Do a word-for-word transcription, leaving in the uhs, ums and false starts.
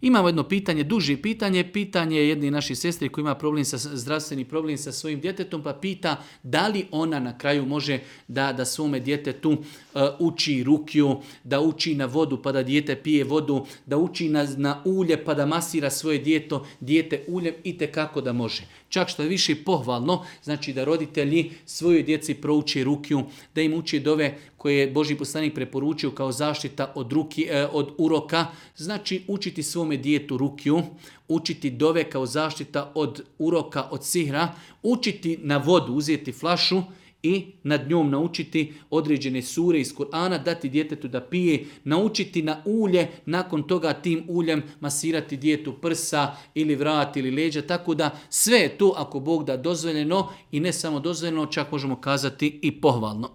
Imamo jedno pitanje, duže pitanje, pitanje jedne naše sestre koja ima problem sa, zdravstveni problem sa svojim djetetom, pa pita da li ona na kraju može da, da svome djetetu uh, uči rukju, da uči na vodu pa da dijete pije vodu, da uči na, na ulje pa da masira svoje djeto, dijete uljem i tekako da može. Čak što je više pohvalno, znači da roditelji svojoj djeci prouče rukju, da im uči dove koje je Božji poslanik preporučio kao zaštita od, ruki, od uroka, znači učiti svome djetu rukju, učiti dove kao zaštita od uroka, od sihra, učiti na vodu, uzeti flašu i nad njom naučiti određene sure iz Kur'ana, dati djetetu da pije, naučiti na ulje, nakon toga tim uljem masirati djetetu prsa ili vrat ili leđa, tako da sve je to ako Bog da dozvoljeno i ne samo dozvoljeno, čak možemo kazati i pohvalno.